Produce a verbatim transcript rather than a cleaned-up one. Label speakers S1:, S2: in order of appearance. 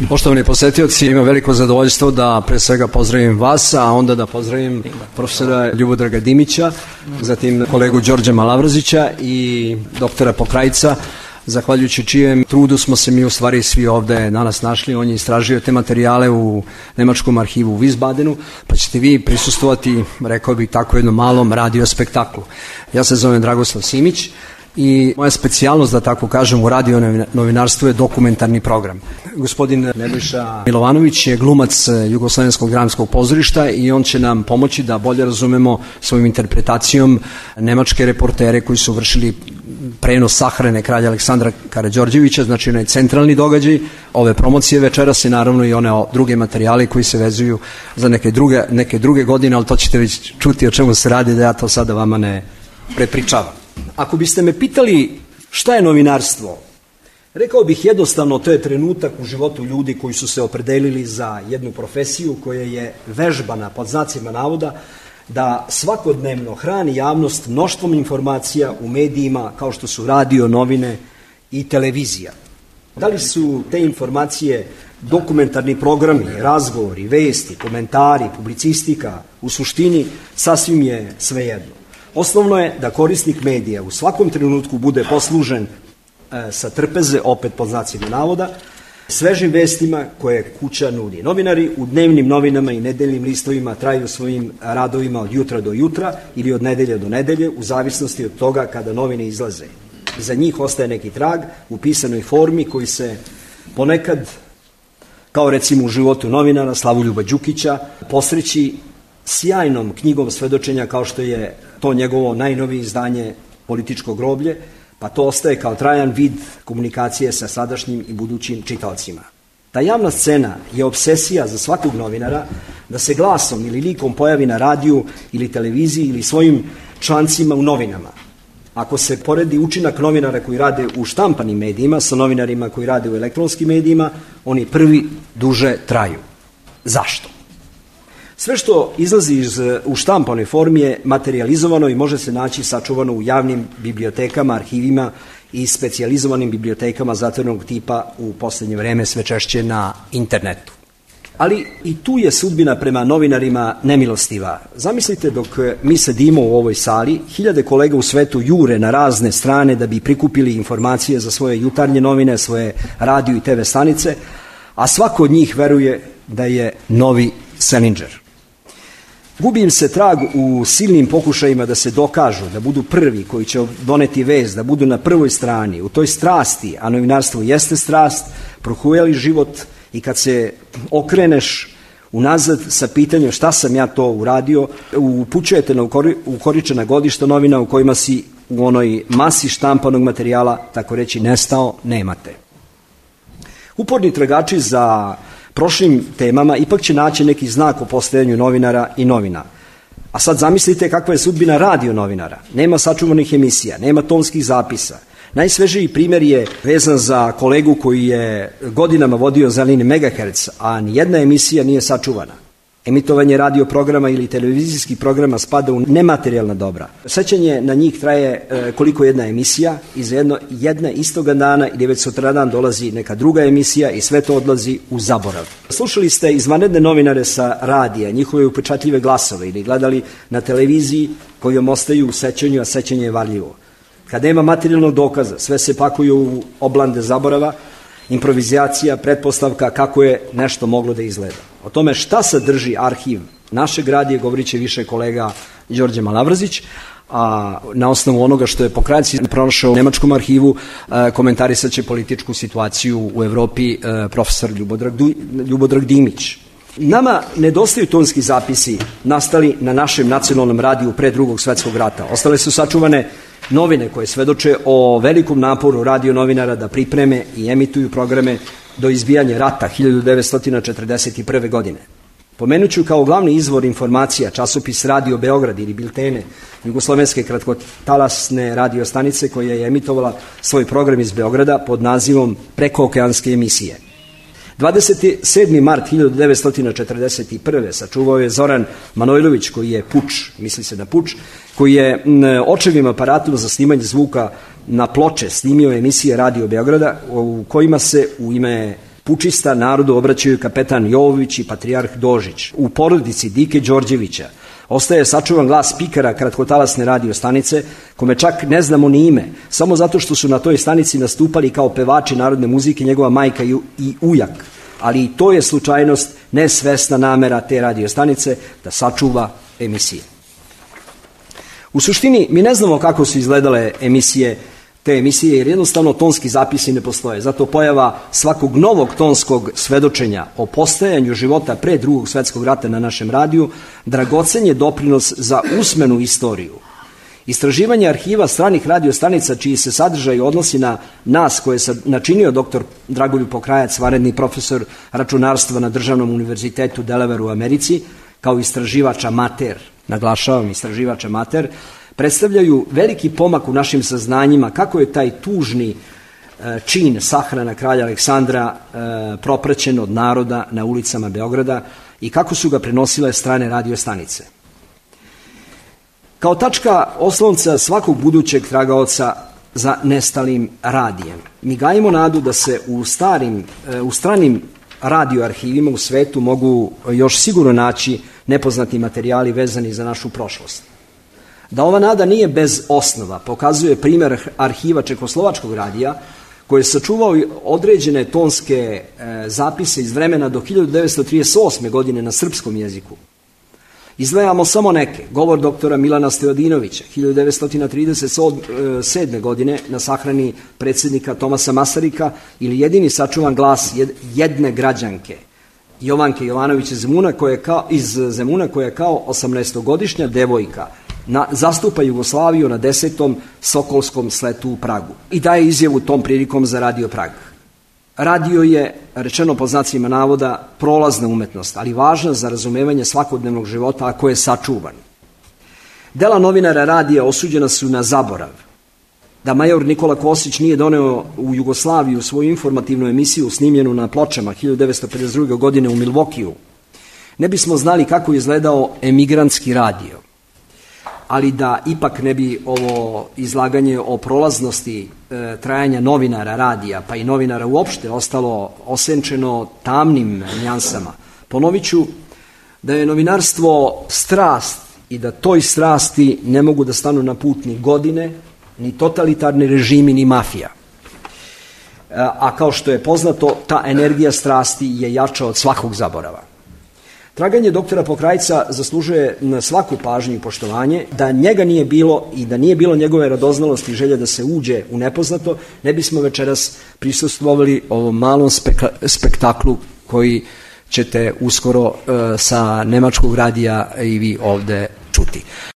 S1: Poštovani posetioci, imam veliko zadovoljstvo da pre svega pozdravim vas, a onda da pozdravim profesora Ljubodraga Dimića, zatim kolegu Đorđa Malavrazića i doktora Pokrajca, zahvaljujući čijem trudu smo se mi u stvari svi ovde danas našli. On je istražio te materijale u Nemačkom arhivu u Wiesbadenu, pa ćete vi prisustvovati, rekao bih tako, jednom malom radio spektaklu. Ja se zovem Dragoslav Simić i moja specijalnost, da tako kažem, u radio novinarstvu je dokumentarni program. Gospodin Nebojša Milovanović je glumac Jugoslovenskog dramskog pozorišta i on će nam pomoći da bolje razumemo svojom interpretacijom nemačke reportere koji su vršili prenos sahrane kralja Aleksandra Karađorđevića, znači onaj centralni događaj ove promocije večeras i naravno i one druge materijale koji se vezuju za neke druge, neke druge godine, ali to ćete već čuti o čemu se radi, da ja to sada vama ne prepričavam. Ako biste me pitali šta je novinarstvo, rekao bih jednostavno, to je trenutak u životu ljudi koji su se opredelili za jednu profesiju koja je vežbana, pod znacima navoda, da svakodnevno hrani javnost mnoštvom informacija u medijima kao što su radio, novine i televizija. Da li su te informacije dokumentarni programi, razgovori, vesti, komentari, publicistika, u suštini sasvim je svejedno. Osnovno je da korisnik medija u svakom trenutku bude poslužen e, sa trpeze, opet pod znacima navoda, svežim vestima koje kuća nudi. Novinari u dnevnim novinama i nedeljnim listovima traju svojim radovima od jutra do jutra ili od nedelje do nedelje, u zavisnosti od toga kada novine izlaze. Za njih ostaje neki trag u pisanoj formi koji se ponekad, kao recimo u životu novinara Slavoljuba Đukića, posreći sjajnom knjigom svedočenja kao što je to njegovo najnovije izdanje Političko groblje, pa to ostaje kao trajan vid komunikacije sa sadašnjim i budućim čitaocima. Ta javna scena je obsesija za svakog novinara da se glasom ili likom pojavi na radiju ili televiziji ili svojim člancima u novinama. Ako se poredi učinak novinara koji rade u štampanim medijima sa novinarima koji rade u elektronskim medijima, oni prvi duže traju. Zašto? Sve što izlazi iz, u štampanoj formi je materijalizovano i može se naći sačuvano u javnim bibliotekama, arhivima i specijalizovanim bibliotekama zatvorenog tipa, u poslednje vreme sve češće na internetu. Ali i tu je sudbina prema novinarima nemilostiva. Zamislite, dok mi sedimo u ovoj sali, hiljade kolega u svetu jure na razne strane da bi prikupili informacije za svoje jutarnje novine, svoje radio i te ve stanice, a svako od njih veruje da je novi Selinger. Gubi im se trag u silnim pokušajima da se dokažu, da budu prvi koji će doneti vest, da budu na prvoj strani, u toj strasti, a novinarstvo jeste strast, prohujali život, i kad se okreneš unazad sa pitanjem šta sam ja to uradio, upućujete na ukoričena godišta novina u kojima si u onoj masi štampanog materijala, tako reći, nestao, nemate. Uporni tragači za prošlim temama ipak će naći neki znak o postojanju novinara i novina. A sad zamislite kakva je sudbina radio novinara. Nema sačuvanih emisija, nema tonskih zapisa. Najsvežiji primjer je vezan za kolegu koji je godinama vodio Zeleni megaherc, a nijedna emisija nije sačuvana. Emitovanje radio programa ili televizijskih programa spada u nematerijalna dobra. Sećanje na njih traje e, koliko jedna emisija i za jedno, jedna istoga dana ili već sutradan dolazi neka druga emisija i sve to odlazi u zaborav. Slušali ste izvanredne novinare sa radija, njihove upečatljive glasove, ili gledali na televiziji kojom ostaju u sećanju, a sećanje je varljivo. Kad nema materijalnog dokaza, sve se pakuju u oblande zaborava, improvizacija, pretpostavka kako je nešto moglo da izgleda. O tome šta sadrži arhiv našeg radija govorit će više kolega Đorđe Malavrazić, a na osnovu onoga što je Pokrajci pronašao u Nemačkom arhivu, komentarisat će političku situaciju u Evropi profesor Ljubodrag, Ljubodrag Dimić. Nama nedostaju tonski zapisi nastali na našem nacionalnom radiju pre Drugog svetskog rata. Ostale su sačuvane novine koje svedoče o velikom naporu radio novinara da pripreme i emituju programe do izbijanja rata hiljadu devetsto četrdeset prve. godine. Pomenuću kao glavni izvor informacija časopis Radio Beograd ili biltene Jugoslovenske kratkotalasne radio stanice koja je emitovala svoj program iz Beograda pod nazivom Prekookeanske emisije. dvadeset sedmi mart hiljadu devetsto četrdeset prve. sačuvao je Zoran Manojlović, koji je puč, misli se na puč, koji je očevim aparatom za snimanje zvuka na ploče snimio emisije Radio Beograda u kojima se u ime pučista narodu obraćaju kapetan Jovović i patrijarh Dožić. U porodici Dike Đorđevića ostaje sačuvan glas spikera kratkotalasne radio stanice, kome čak ne znamo ni ime, samo zato što su na toj stanici nastupali kao pevači narodne muzike njegova majka i ujak. Ali i to je slučajnost, nesvesna namera te radio stanice da sačuva emisije. U suštini, mi ne znamo kako su izgledale emisije, te emisije, jer jednostavno tonski zapisi ne postoje. Zato pojava svakog novog tonskog svedočenja o postajanju života pre drugog svetskog rata na našem radiju dragocen je doprinos za usmenu istoriju. Istraživanje arhiva stranih radiostanica, čiji se sadržaj odnosi na nas, koje je načinio doktor Dragoljub Pokrajac, vanredni profesor računarstva na Državnom univerzitetu Delaware u Americi, kao istraživač amater, naglašavam istraživač amater, predstavljaju veliki pomak u našim saznanjima kako je taj tužni čin sahrana kralja Aleksandra propraćen od naroda na ulicama Beograda i kako su ga prenosile strane radiostanice. Kao tačka oslonca svakog budućeg tragaoca za nestalim radijem, mi gajimo nadu da se u, starim, u stranim radioarhivima u svetu mogu još sigurno naći nepoznati materijali vezani za našu prošlost. Da ova nada nije bez osnova pokazuje primjer arhiva Čekoslovačkog radija, koji je sačuvao određene tonske zapise iz vremena do hiljadu devetsto trideset osme. godine na srpskom jeziku. Izdvajamo samo neke. Govor doktora Milana Stojadinovića, hiljadu devetsto trideset sedme. godine na sahrani predsjednika Tomasa Masarika, ili jedini sačuvan glas jedne građanke, Jovanke Jovanović iz Zemuna, koja je kao, iz Zemuna, koja je kao osamnaestogodišnja devojka na, zastupa Jugoslaviju na desetom Sokolskom sletu u Pragu i daje izjavu tom prilikom za Radio Prag. Radio je, rečeno pod znacima navoda, prolazna umetnost, ali važna za razumevanje svakodnevnog života ako je sačuvan. Dela novinara radija osuđena su na zaborav. Da major Nikola Kosić nije doneo u Jugoslaviju svoju informativnu emisiju snimljenu na pločama hiljadu devetsto pedeset druge. godine u Milvokiju, ne bismo znali kako je izgledao emigrantski radio. Ali da ipak ne bi ovo izlaganje o prolaznosti e, trajanja novinara radija, pa i novinara uopšte, ostalo osenčeno tamnim njansama, ponovit ću da je novinarstvo strast i da toj strasti ne mogu da stanu na put ni godine, ni totalitarni režimi, ni mafija. A kao što je poznato, ta energija strasti je jača od svakog zaborava. Traganje doktora Pokrajca zaslužuje na svaku pažnju i poštovanje. Da njega nije bilo i da nije bilo njegove radoznalosti i želje da se uđe u nepoznato, ne bismo večeras prisustvovali ovom malom spektaklu koji ćete uskoro sa nemačkog radija i vi ovde čuti.